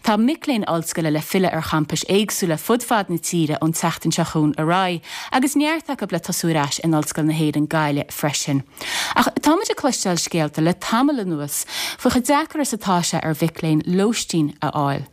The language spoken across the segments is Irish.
Tá mic léinn ollscoile le filleadh ar champais éagsúla fud fad na tíre ón tseachtain seo chugainn ar aghaidh, agus neart acu le tosú ar ais in Ollscoil na hÉireann, Gaillimh freisin. Ach tá muid ag cloisteáil scéalta le tamall anuas faoi chomh deacair is atá sé ar mhic léinn lóistín a fháil.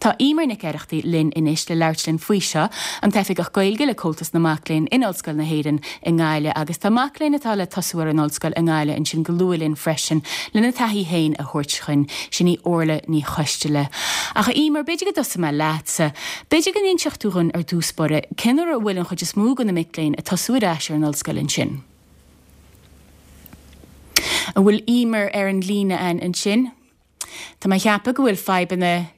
Tá Emer Nic Oireachtaigh linn anois le labhairt linn faoi seo, an tOifigeach Gaeilge le Comhaltas na Mac Léinn in Ollscoil na hÉireann i nGaillimh agus tá mac léinn atá le tosú ar an ollscoil i nGaillimh ansin go luath linn freisin lena taithí féin a thabhairt chugainn, sin í Orla Ní Choisteala. Ach a Emer, b'fhéidir go dtosóidh mé leatsa. B'fhéidir go n-inseodh tú dhúinn ar dtús báire cén uair a bhfuil an chuid is mó de na mic léinn ag tosú ar ais ar an ollscoil ansin? An bhfuil Emer ar an líne ansin? Tá mé a cheapadh go bhfuil fadhbanna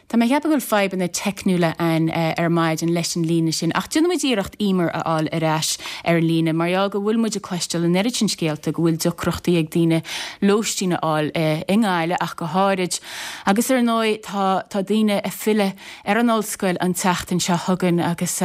Tá mé a cheapadh go bhfuil fadhbanna teicniúla ann ar maidin leis an líne sin ach déanfaidh muid iarracht Emer a fháil ar ais ar an líne mar gheall go bhfuil muid ag cloisteáil an oiread sin scéalta go bhfuil deacrachtaí ag daoine lóistín a fháil i nGaillimh ach go háirid agus ar ndóigh tá tá daoine ag filleadh ar an ollscoil an tseachtain seo chugainn agus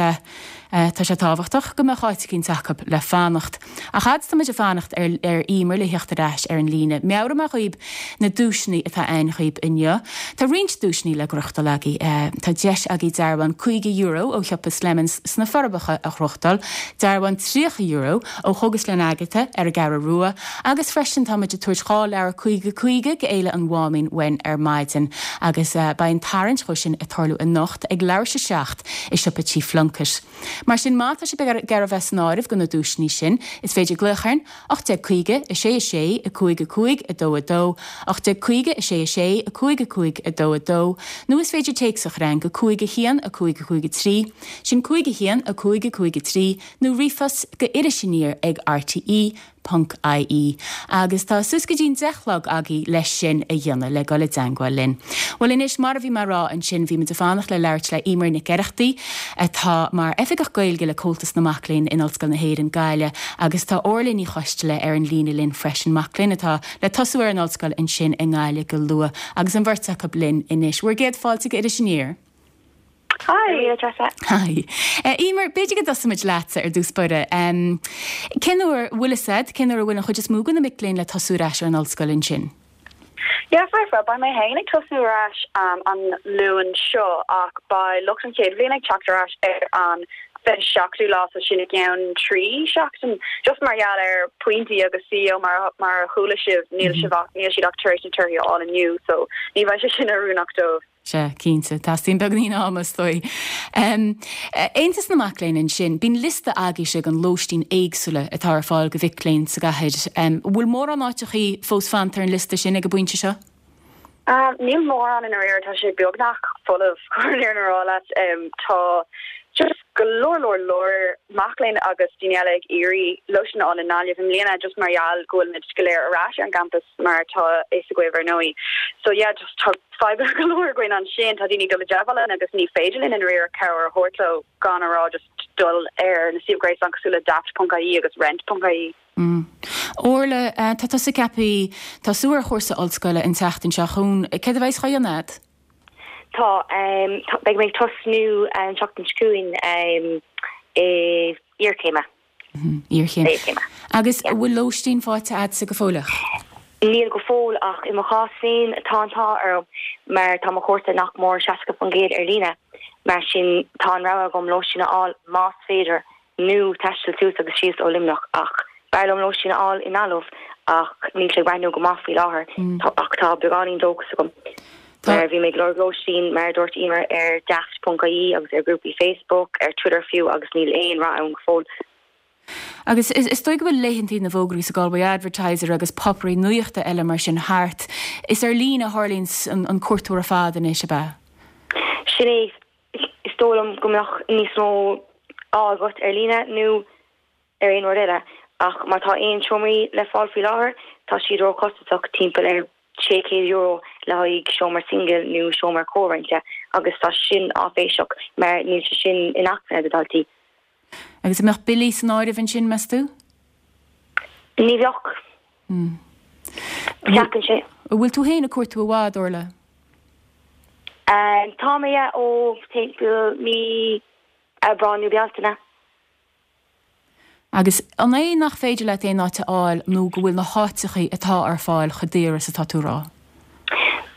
Tá sé tábhachtach go mbeadh áit eicínt acu le fanacht. Ach fhad is tá muid ag fanacht ar ar Emer le theacht ar ais ar an líne, meabhróidh mé dhaoib na duaiseanna atá ann dhaoib inniu. Tá roinnt duaiseanna le gnóthachtáil agaibh. Tá deis agaibh dearbhán €50 ó shiopa Slemons sna Forbacha a ghnóthachtáil, dearbhán €30 ó Chógaslann Agatha ar an gCeathrú Rua agus freisin tá muid ag tabhairt 2 leabhar 50 50 go Fhéile an Mháimín uainn ar maidin agus beidh an tarraingt dhó sin ag tarlú anocht ag leathuair tar éis a 7. i siopa Tí Phlunkett. Mar sin, má tá sibh ag iarraidh bheith san áireamh do na duaiseanna sin, is féidir glaoch orainn, 1850 6 6 5 5 2 2, 1850 6 6 5 5 2 2, nó is féidir téacs a chur chugainn go 5 1 5 5 3, sin 5 1 5 5 3, nó ríomhphost go iris aniar ag rte. ponc ie agus tá suas go dtí'n 10 chlog agaibh leis sin a dhéanamh, le dul i dteangmháil linn. Bhuel anois, mar a bhí mé a rá ansin, bhí muid ag fanacht le labhairt le Emer Nic Oireachtaigh, atá mar Oifigeach Gaeilge le Comhaltas na Mac Léinn in Ollscoil na hÉireann, Gaillimh, agus tá Orla Ní Choisteala ar an líne linn freisin, mac léinn atá le tosú ar an ollscoil ansin i nGaillimh go luath, agus an bheirt acu linn anois. Bhur gcéad fáilte go Iris Aniar. Hi, a Treasa. Hi. Emer, b'fhéidir go dtosóidh muid leatsa ar dtús báire. Cén uair, bhfuil fhios a'd, cén uair a bhfuil an chuid is mó de na mic léinn le tosú ar ais ar an ollscoil ansin? Yeah, foirfe. Beidh mé féin ag tosú ar ais an Luan seo ach beidh lucht an chéad bhliain ag teacht ar ais ar an 27ú lá, so sin i gceann 3 seachtain. Just mar gheall ar pointí agus CAO mar mar a chuala sibh, níl sibh ach, níl siad ach tar éis na torthaí a fháil inniu, so ní bheidh sé sin oiriúnach dóibh. Sea, cinnte. Teastaíonn beagáinín ama, is dóigh. Aontas na Mac Léinn ansin, bíonn liosta agaibhse den lóistín éagsúla atá ar fáil do mhic léinn sa gcathair. An bhfuil mórán áiteachaí fós fanta ar an liosta sin ag an bpointe seo? Níl mórán i ndáiríre, tá sé beagnach folamh, chun an fhírinne a rá leat. Tá just go leor leor leor mac léinn agus daoine eile ag iarraidh lóistín a fháil i nGaillimh i mbliana just mar gheall go bhfuil muid go léir ar ais ar an gcampas mar atá a fhios agaibh ar ndóigh. So yeah, just tá fadhbanna go leor againn ansin, tá daoine ag dul i dteagmháil linn agus ní féidir linn i ndáiríre cabhair a thabhairt leo gan a rá just dul ar na suímh ghréasáin cosúil le daft.ie agus rent.ie. Mm. Orla, tá tusa ceaptha tosú ar chúrsa ollscoile an tseachtain seo chugainn. Céard a bheas á dhéanamh agat? Tá, beidh mé ag tosnú an tseachtain seo chugainn i iarchéime. Iarchéim. Agus an bhfuil lóistín faighte agatsa go fóilleach? Níl go fóill ach i mo chás féin tá an t-ádh orm mar tá mo chúrsa nach mór 60% ar líne, mar sin tá an rogha agam lóistín a fháil más féidir nó taisteal suas agus síos ó Luimneach ach b'fhearr liom lóistín a fháil i nGaillimh ach níl sé ag breathnú go maith faoi láthair ach tá beagáinín dóchas agam mar bhí mé ag lorg lóistín mar a dúirt Emer ar daft.ie agus ar grúpaí Facebook, ar Twitter fiú agus níl aon rath ann go fóill. Agus is dóigh go bhfuil laethantaí na bhfógraí sa Galway Advertiser agus páipéirí nuachta eile mar sin thart. Is ar líne a tharlaíonn an cuartú ar fad anois, ab ea? Sin é. Is dóigh liom go mbeadh níos mó ádh agat ar líne nó ar aon rud eile, ach má tá aon seomraí le fáil faoi láthair, tá siad róchostasach, timpeall ar €600 le haghaidh seomra singil nó seomra comhroinnte, agus tá sin áiféiseach mar níl sé sin inacmhainne do dhaltaí. Agus an mbeadh billí san áireamh ansin, meas tú? Ní bheadh. Ceapann sé. An bhfuil tú féin ag cuartú i bhfad, Orla? Tá mé, yeah, ó timpeall mí Aibreán nó Bealtaine. Agus an é nach féidir leat aon áit a fháil nó go bhfuil na háiteachaí atá ar fáil chomh daor is atá tú a rá?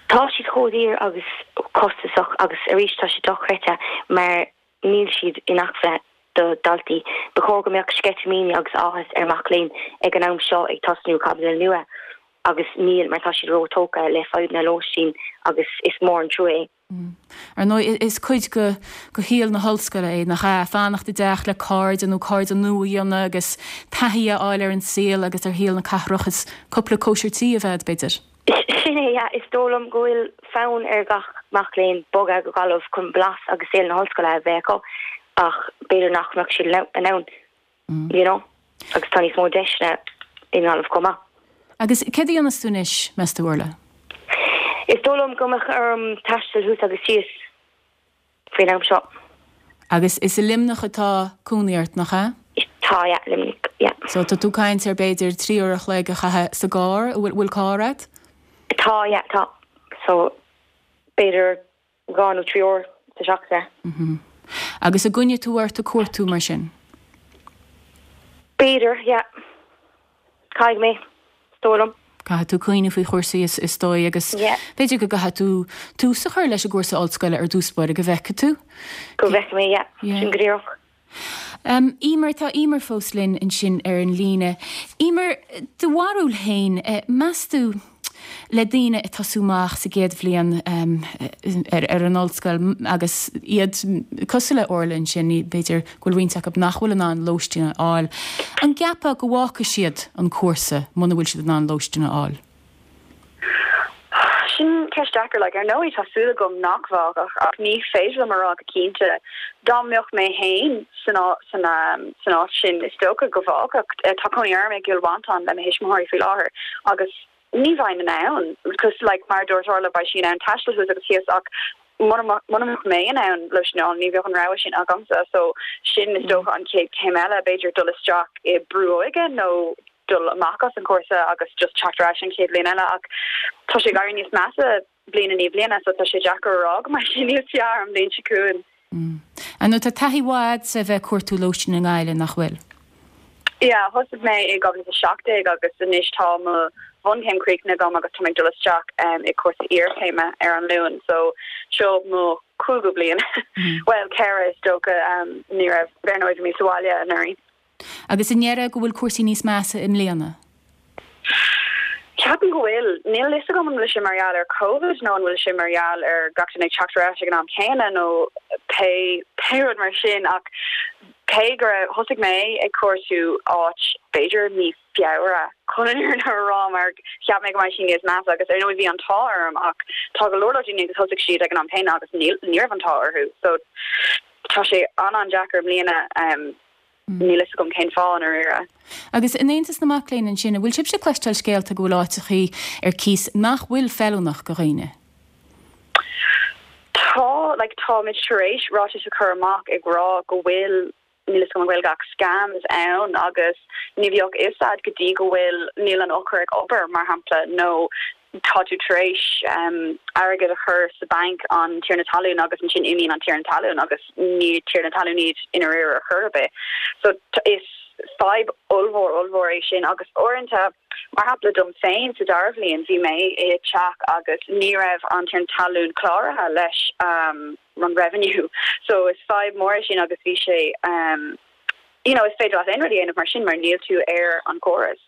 Tá. Tá siad chomh daor agus costasach agus arís tá sé dochreidte mar níl siad inacmhainne do dhaltaí. Ba chóir go mbeadh sceitimíní agus áthas ar mac léinn ag an am seo ag tosnú caibidil nua agus níl mar tá siad ró-tógtha le fadhbanna lóistín agus is mór an trua é. Ar ndóigh, is cuid de shaol na hollscoile é, nach ea? Fanacht i dteach le cairde nó cairde nua a dhéanamh agus taithí a fháil ar an saol agus ar shaol na cathrach is cúpla cóisir tí a bheith agat, b'fhéidir. Sin é, yeah. Is dóigh liom go bhfuil fonn ar gach mac léinn bogadh go Gaillimh chun blas agus saol na hollscoile a bheith acu ach b'fhéidir nach mbeadh siad in ann, you know, agus tá níos mó deiseanna i nGaillimh chomh maith. Agus céard a dhéanfas tú anois, meas tú, Orla? Is dóigh liom go mbeadh orm taisteal thuas agus síos faoin am seo. Agus is i Luimneach atá cónaí ort, nach ea? Tá, yeah, Luimneach, yeah. So tá tú ag caint ar b'fhéidir 3 uair a chloig a chaitheamh sa gcarr, an bhfuil carr agat? Tá, yeah, tá. So b'fhéidir 2 nó 3 uair sa seachtain. Agus an gcoinneoidh tú ort ag cuartú mar sin? B'fhéidir, yeah. Caithfidh mé, is dóigh liom. Caithfidh tú cuimhneamh faoi chúrsaí is dóigh agus b'fhéidir go gcaithfidh tú tús a chur leis an gcúrsa ollscoile ar dtús báire go bhfeicfidh tú. Go bhfeicfidh mé, yeah. Sin go díreach. Emer, tá Emer fós linn ansin ar an líne. Emer, do bharúil féin, meas tú, le daoine ag tosú amach sa gcéad bhliain ar an ollscoil agus iad cosúil le Orla ansin, b'fhéidir go bhfuil roinnt acu nach bhfuil in ann lóistín a fháil, an gceapfá go bhfágfaidh siad an cúrsa muna bhfuil siad in ann lóistín a fháil? Sin ceist deacair. Like, ar ndóigh tá súil agam nach bhfágfadh ach ní féidir liom a rá go cinnte. Dá mbeadh mé féin san san san áit sin is dócha go bhfágfadh. Tá cónaí orm i gCill Mhantáin le mo thuismitheoirí faoi láthair agus ní bheinn in ann because like mar a dúirt Orla beidh sí in ann taisteal thuas agus síos ach muna muna mbeadh mé in ann lóistín a fháil ní bheadh an rogha sin agamsa so sin is dócha an chéad chéim eile b'fhéidir dul isteach i brú óige nó dul amach as an chúrsa agus just teacht ar ais an chéad bhliain eile ach tá sé ag éirí níos measa bliain i ndiaidh bliana so tá sé deacair a rá go mbeidh sé níos fearr an bhliain seo chugainn. Ar ndóigh tá taithí mhaith agatsa a bheith ag cuartú lóistín i nGaillimh, nach bhfuil? Yeah, thosaigh mé i 2017 agus anois tá mo bhunchéim críochnaithe agam agus tá mé ag dul isteach i cúrsa iarchéime ar an Luan so seo mo chúigiú bliain. Bhuel, 4 is dócha, ní raibh, ar ndóigh bhí mé sa bhaile anuraidh. Agus an ndéarfá go bhfuil cúrsaí níos measa i mbliana? Ceapaim go bhfuil. Níl a fhios agam an bhfuil sé mar gheall ar Covid nó an bhfuil sé mar gheall ar gach duine ag teacht ar ais ag an am céanna nó pé pé rud mar sin ach cé go raibh thosaigh mé ag cuartú áit b'fhéidir mí Feabhra chun an fhírinne a rá mar cheap mé go mbeidh sé níos measa agus ar ndóigh bhí an t-ádh orm ach tá go leor leor daoine agus thosaigh siad ag an am céanna agus níl ní raibh an t-ádh orthu so Tá sé an-an-deacair i mbliana. Níl fhios agam cén fáth, i ndáiríre. Agus in Aontas na Mac Léinn ansin, an bhfuil sibhse ag cloisteáil scéalta go bhfuil áiteachaí ar cíos nach bhfuil feiliúnach do dhaoine? Tá, like, táimid tar éis ráiteas a chur amach ag rá go bhfuil níl fhios agam an Ghaeilge ach scams ann agus ní bheadh fhios a'd go dtí go bhfuil níl an eochair ag obair mar shampla nó tá tú tar éis airgead a chur sa banc an tiarna talún agus ansin imíonn an tiarna talún agus ní tiarna talún iad i ndáiríre ar chor ar bith. So is fadhb ollmhór ollmhór é sin agus uaireanta mar shampla dom féin sa dara bhliain bhí mé i teach agus ní raibh an tiarna talún cláraithe leis an revenue. So is fadhb mór é sin agus bhí sé you know is féidir leat aon rud a dhéanamh mar sin mar níl tú ar an gcóras.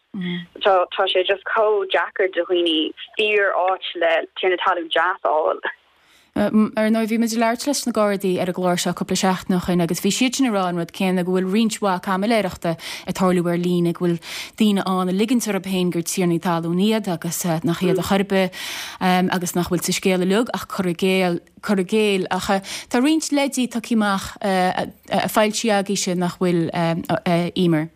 Tá tá sé just chomh deacair do dhaoine fíor áit le tiarna talún deas a fháil. Ar ndóigh, bhí muid ag labhairt leis na Gardaí ar an gclár seo cúpla seachtain ó shin agus bhí siad sin ag rá an rud céanna, go bhfuil roinnt mhaith caimiléireachta ag tarlú ar líne, go bhfuil daoine ann ag ligint orthu féin gur tiarnaí talún iad agus nach iad ar chor ar bith agus nach bhfuil sa scéal uilig ach cur i gcéill. cur i gcéill. Ach tá roinnt leidí tugtha amach foilsithe agaibhse nach bhfuil, a Emer?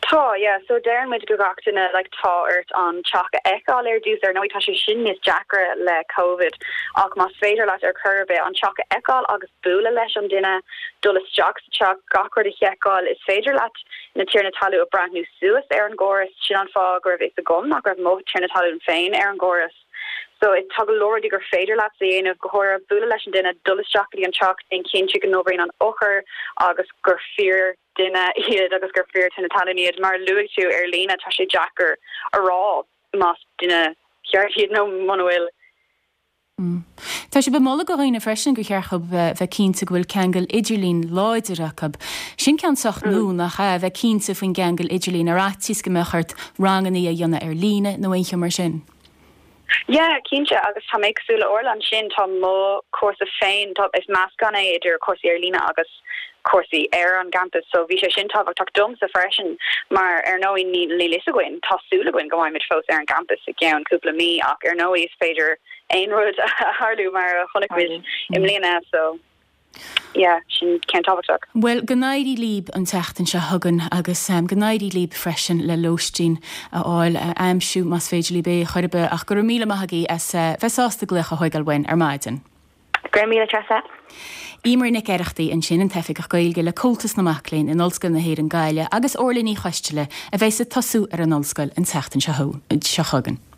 Tá, yeah. So deireann muid go gach duine like tá ort an teach a fheiceáil ar dtús. Ar ndóigh tá sé sin níos deacra le Covid ach más féidir leat ar chor ar bith an teach a fheiceáil agus bualadh leis an duine, dul isteach sa teach, gach rud a sheiceáil, is féidir leat na tiarna talún a breathnú suas ar an gcóras. Sin an fáth go raibh fhios agam nach raibh mo tiarna talún féin ar an gcóras. So tá go leor rudaí gur féidir leat a dhéanamh, go háirithe bualadh leis an duine, dul isteach go dtí an teach, déan cinnte go n-oibríonn an eochair agus gur fíor duine iad agus gur fíor tiarna talún iad. Mar a luaigh tú ar líne tá sé deacair a rá más duine ceart iad nó muna bhfuil. Tá sibh ag moladh do dhaoine freisin gur cheart dhóibh bheith cinnte go bhfuil ceangal idirlín láidir acu. Sin ceann sách nua, nach ea? Bheith cinnte faoin gceangal idirlín ar fhaitíos go mbeadh ort ranganna a dhéanamh ar líne nó aon cheo mar sin. Yeah, cinnte, agus tá mé cosúil le Orla ansin, tá mo chúrsa féin, tá, is meascán é idir cúrsaí ar líne agus cúrsaí ar an gcampas so bhí sé sin tábhachtach domsa freisin mar ar ndóigh níl a fhios againn, tá súil againn go mbeimid fós ar an gcampas i gceann cúpla mí ach ar ndóigh is féidir aon rud a tharlú mar a chonaic muid i mbliana so yeah sin ceann tábhachtach. Bhuel, go n-éirí líb an tseachtain seo chugainn agus go n-éirí líb freisin le lóistín a fháil, a aimsiú más féidir líb é chor ar bith ach go raibh míle maith agaibh as bheith sásta glaoch a thóigeáil uainn ar maidin. Go raibh míle Treasa. Eimear Nic Oireachtaigh ansin, an tOifigeach Gaeilge le Comhaltas na Mac Léinn in Ollscoil na hÉireann Gaillimh agus Orla Ní Choisteala a bheas ag tosú ar an ollscoil an tseachtain seo chugainn.